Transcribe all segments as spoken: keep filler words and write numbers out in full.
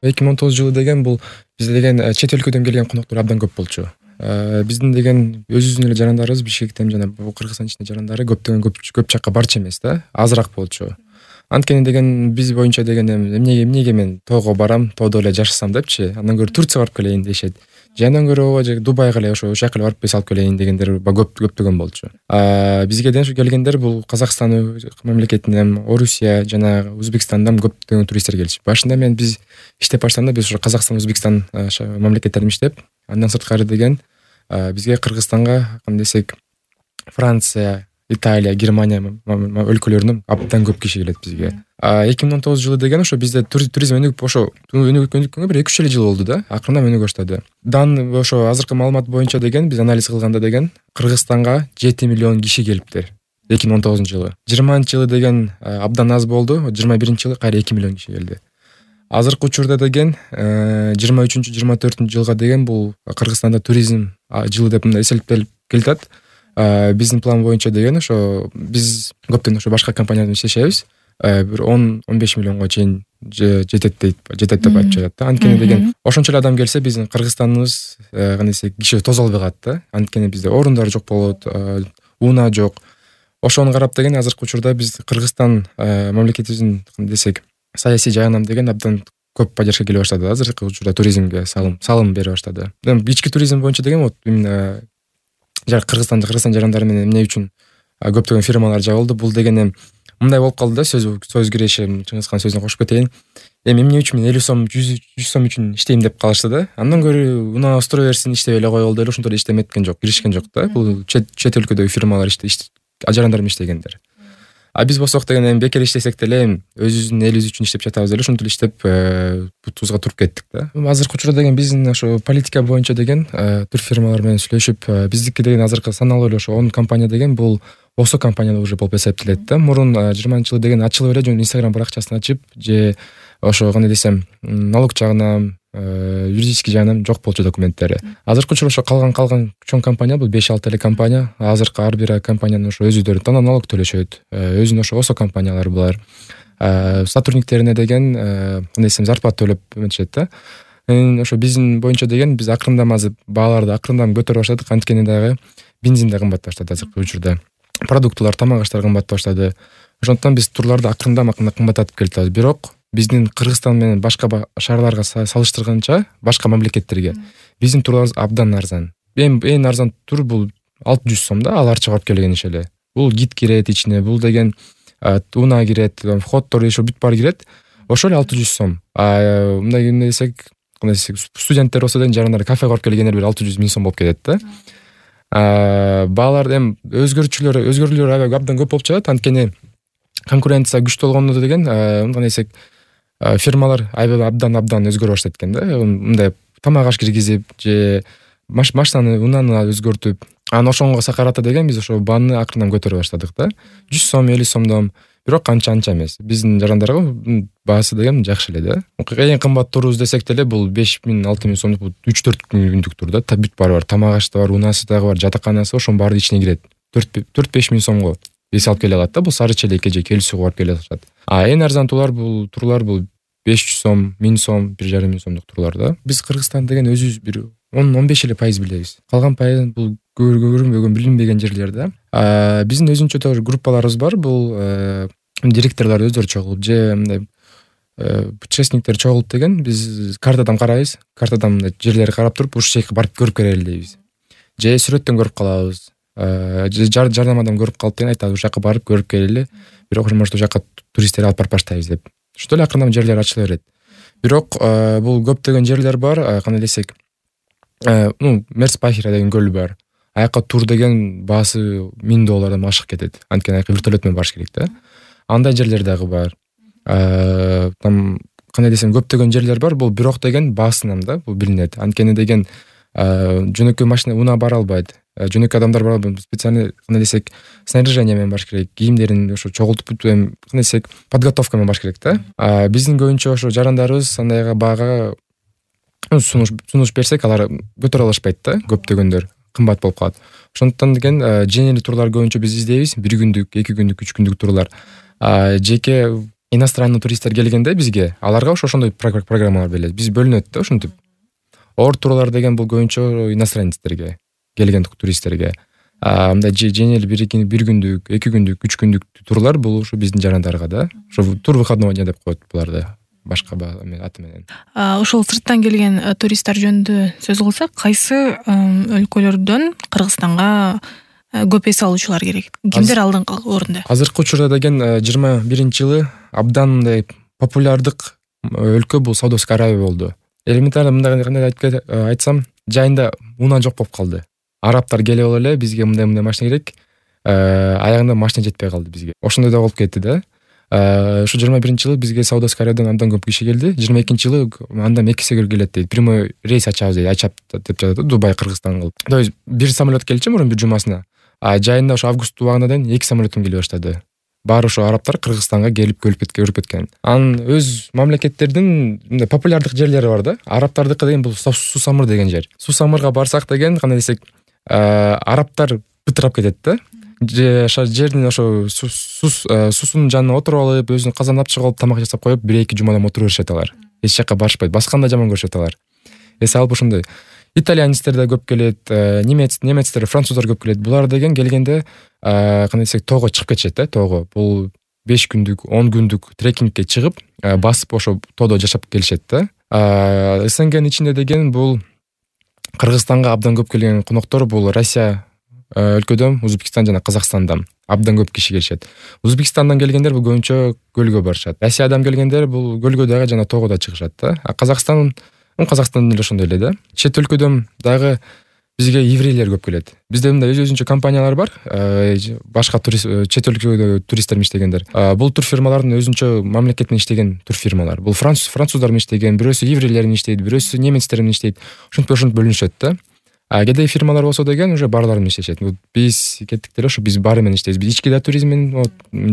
эки миң он тогузунчу жылы деген бул бизде деген чет өлкөдөн келген коноктор абдан көп болчу. Биздин деген өзүбүздүн эле жарандарыбыз Бишкектен жана Кыргызстан ичинде жарандары көптөгөн көп көп жакка барчу эмес да, азыраак болчу. Анткени деген биз боюнча деген эмнеге эмнеге мен тоого барам, тоодо эле жашасам депчи, андан көрө Турцияга барып келейин дешет. Же андан көрө ооба же Дубайга эле ошо ошол жака эле барып салып келейин дегендер көп көптөгөн болчу. Бизге деген ушу келгендер бул Казакстан мамлекетинен, Орусия жана Өзбекстандан көптөгөн туристтер келчү. Башында мен биз иштеп баштаганда биз ошо Казакстан, Өзбекстан мамлекеттеринде иштеп, андан сырткары деген бизге Кыргызстанга кандай десек Франция, Италия, Германия өлкөлөрүнөн абдан көп киши келет бизге. эки миң он тогузунчу жылы деген ошо бизде туризм өнүгүп ошо өнүгүпкөнгө бир эки үч эле жыл болду да, акырындан өнүгө баштады. Дан ошо азыркы маалымат боюнча деген биз анализ кылганда деген Кыргызстанга жети миллион киши келиптир эки миң он тогузунчу жылы. жыйырманчы жылы деген абдан аз болду, жыйырма биринчи жылы кайра эки миллион киши келди. Азыркы учурда деген жыйырма үчүнчү жыйырма төртүнчү жылга деген бул Кыргызстанда туризм жылы деп мындай эсептелип келатат. Биздин план боюнча деген ошо биз көптөн ошо башка компания менен иштешебиз. Бир он он беш миллионго чейин жетет дейт, жетет деп айтып жатат да. Анткени деген ошончо эле адам келсе биздин Кыргызстаныбыз кандай десек киши тозо албай калат да. Анткени бизде орундар жок болот, унаа жок. Ошону карап деген азыркы учурда биз Кыргызстан мамлекетибиздин кандай десек саясий жагынан деген абдан көп поддержка келе баштады. Азыркы учурда туризмге салым салым бере баштады. Ички туризм боюнча деген вот именно жана Кыргызстанда Кыргызстан жарандары менен эмне үчүн көптөгөн фирмалар жабылды. Бул деген мындай болуп калды да, сөз сөз кирешим, Чыңгызхан сөзүнө кошуп кетейин. Эми эмне үчүн мен элүү сом, жүз сом үчүн иштейм деп калышты да. Андан көрө унаа устура берсин, иштеп эле коелу деп ошентип эле иштеметкен жок, киришкен жок да. Бул чет чет өлкөдөгү фирмалар жарандар менен иштегендер. А биз болсок деген эми бекер иштесек деле өзүбүздүн элибиз үчүн иштеп жатабыз деле, ошентип эле иштеп бутубузга туруп кеттик да. Азыркы учурда деген биздин ошо политика боюнча деген турфирмалар менен сүйлөшүп, биздики деген азыркы саналуу эле ошо он компания деген бул Осо компания уже болуп эсептелет да. Мурун жыйырманчы жылы деген ачылып эле жөн Instagram баракчасын ачып, же ошо кандай десем, налог жагынан, юридический жагынан жок болчу документтери. Азыркы учурда ошо калган калган чоң компания бул беш алты эле компания. Азыркы ар бир компаниянын ошо өзүдөрү тана налог төлөшөт. Өзүнүн ошо Осо компаниялары булар. Сотрудниктерине деген кандай десем зарплата төлөп эметишет да. Ошо биздин боюнча деген биз акырындан азыр бааларды акырындан көтөрүп баштадык. Анткени дагы бензин да кымбат баштады азыркы учурда. Продуктылар, тамак аштар кымбат баштады. Ошондуктан биз турларды акырындан акырындан кымбаттатып келатабыз. Бирок биздин Кыргызстан менен башка шаарларга салыштырганча, башка мамлекеттерге биздин турларыбыз абдан арзан. Эң эң арзан тур бул алты жүз сом да, аларча барып келген иш эле. Бул гид кирет ичине, бул деген унаа кирет, входдор ошо бүт баары кирет. Ошо эле алты жүз сом. А мындай эмне десек, кандай десек, студенттер болсо деген жарандар кафеге барып келгендер бир алты жүз миң сом болуп кетет да. Баалар эми өзгөрүүчүлөр, өзгөрүүлөр абдан көп болуп жатат. Анткени конкуренция күчтүү болгондо деген, кандай десек, фирмалар абдан абдан өзгөрө баштайт экен да. Мындай тамак аш киргизип же машинаны, унааны өзгөртүп, анан ошонго карата деген биз ошо бааны акырындан көтөрө баштадык да. жүз сом, элүү сомдон. Бирок анча анча эмес. Биздин жарандарга баасы деген жакшы эле да. Эң кымбат турубуз десек деле бул беш миң, алты миң сомдук, бул үч төрт күндүк тур да. Бүт баары бар. Тамак ашты бар, унаасы дагы бар, жатаканасы, ошонун баары ичине кирет. төрт беш миң сомго биз алып келе алат да. Бул Сары Челекке же Келүүсүгө барып келе алышат. А эң арзан турлар бул турлар бул беш жүз сом, миң сом, бир жарым миң сомдук турлар да. Биз Кыргызстан деген өзүбүз бир он он беш эле пайыз билебиз. Калган пайыз бул көрүнбөгөн, билинбеген жерлер да. Биздин өзүнчө группаларыбыз бар. Бул директорлор өздөрү чогулуп же мындай путешественниктер чогулуп деген биз картадан карайбыз. Картадан мындай жерлерди карап туруп, ушул жака барып көрүп келели дейбиз. Же сүрөттөн көрүп калабыз. Же жардамадан көрүп калып деген айтабыз, ушул жака барып көрүп келели. Бирок может ушул жака туристтерди алып барып баштайбыз деп. Ошондой эле акырындан жерлер ачыла берет. Бирок бул көптөгөн жерлер бар, кандай десек, ну, Мерспахира деген көл бар. Аяка тур деген баасы миң доллардан ашык кетет. Анткени аяка вертолет менен барыш керек да. Андай жерлер дагы бар. Там кандай десем, көптөгөн жерлер бар. Бул бирок деген баасынан да бул билинет. Анткени деген жөнөкөй машина унаа бара албайт. Жөнөкөй адамдар бар, специальный кандай десек, снаряжение менен барыш керек. Кийимдерин ошо чогултуп, кандай десек, подготовка менен барыш керек да. Биздин көбүнчө ошо жарандарыбыз андайга баага сунуш сунуш берсек, алар көтөрө алышпайт да, көптөгөндөр кымбат болуп калат. Ошондуктан деген жеңил турлар көбүнчө биз издейбиз. бир күндүк, эки күндүк, үч күндүк турлар. Жеке иностранный туристтер келгенде бизге аларга ошо ошондой программалар берилет. Биз бөлүнөт да ушинтип. Ор турлар деген бул көбүнчө иностранецтерге, келген туристтерге. А мындай жеңил бир күндүк, эки күндүк, үч күндүк турлар бул ушу биздин жарандарга да. Ошо тур выходной дня деп коет буларды. Башка аты менен. Ошол сырттан келген туристтер жөнүндө сөз кылсак, кайсы өлкөлөрдөн Кыргызстанга көп эс алуучулар керек? Кимдер алдыңкы орунда? Азыркы учурда деген жыйырма биринчи жылы абдан мындай популярдык өлкө бул Саудовская Аравия болду. Элементарно мындай кандай айтсам, жайында унаа жок болуп калды. Арабтар келип алып эле бизге мындай-мындай машина керек, аягында машина жетпей калды бизге. Ошондой да болуп кетти да. Ошо жыйырма биринчи жылы бизге Саудовская Аравиядан андан көп киши келди. жыйырма экинчи жылы андан эки эсе көп келет дейт. Прямой рейс ачабыз дейт. Ачап деп жатат, Дубай, Кыргызстан кылып. То есть бир самолет келчү мурун бир жумасына. А жайында ошо август убагына дейин эки самолеттен келе баштады. Баары ошо арабтар Кыргызстанга келип көрүп кеткен, көрүп кеткен. Анын өз мамлекеттердин мындай популярдык жерлери бар да. Арабтардыкы деген бул Сусамыр деген жер. Сусамырга барсак деген кандай десек, арабтар бытырап кетет да. Жердин ошо суусунун жанына отуруп алып, өзүнүн казанын чыгып алып, тамак жасап коюп, бир эки жумадан отуруп беришет алар. Эч жака барышпайт. Басканда жаман көрүшөт алар. Эс алып ошондой. Итальянецтер да көп келет, немец, немецтер, француздар көп келет. Булар деген келгенде, кандай десек, тоого чыгып кетишет да, тоого. Бул беш күндүк, он күндүк трекингке чыгып, басып ошо тоодо жашап келишет да. СНГнын ичинде деген бул Кыргызстанга абдан көп келген коноктор бул Россия өлкөдөн, Өзбекстан жана Казакстандан абдан көп киши келишет. Өзбекстандан келгендер бул көбүнчө көлгө барышат. Россиядан келгендер бул көлгө дагы жана тоого да чыгышат да. А Казакстан, Казакстан деле ошондой эле да. Чет өлкөдөн дагы бизге еврейлер көп келет. Бизде мындай өз-өзүнчө компаниялар бар, башка турист, чет өлкөдө туристтер иштегендер. Бул тур фирмалардын өзүнчө мамлекеттин иштеген тур фирмалар. Бул француз, француздар менен иштеген, бирөөсү еврейлер менен иштейт, бирөөсү немецтер менен иштейт. Ошентип ошентип бөлүнүшөт да. А кедей фирмалар болсо деген уже барлар менен иштешет. Биз кеттик деле ошо биз бары менен иштейбиз. Биз ички да туризм менен,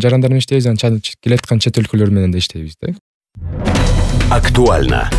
жарандар менен иштейбиз, анан келаткан чет өлкөлөр менен да иштейбиз да. Актуально.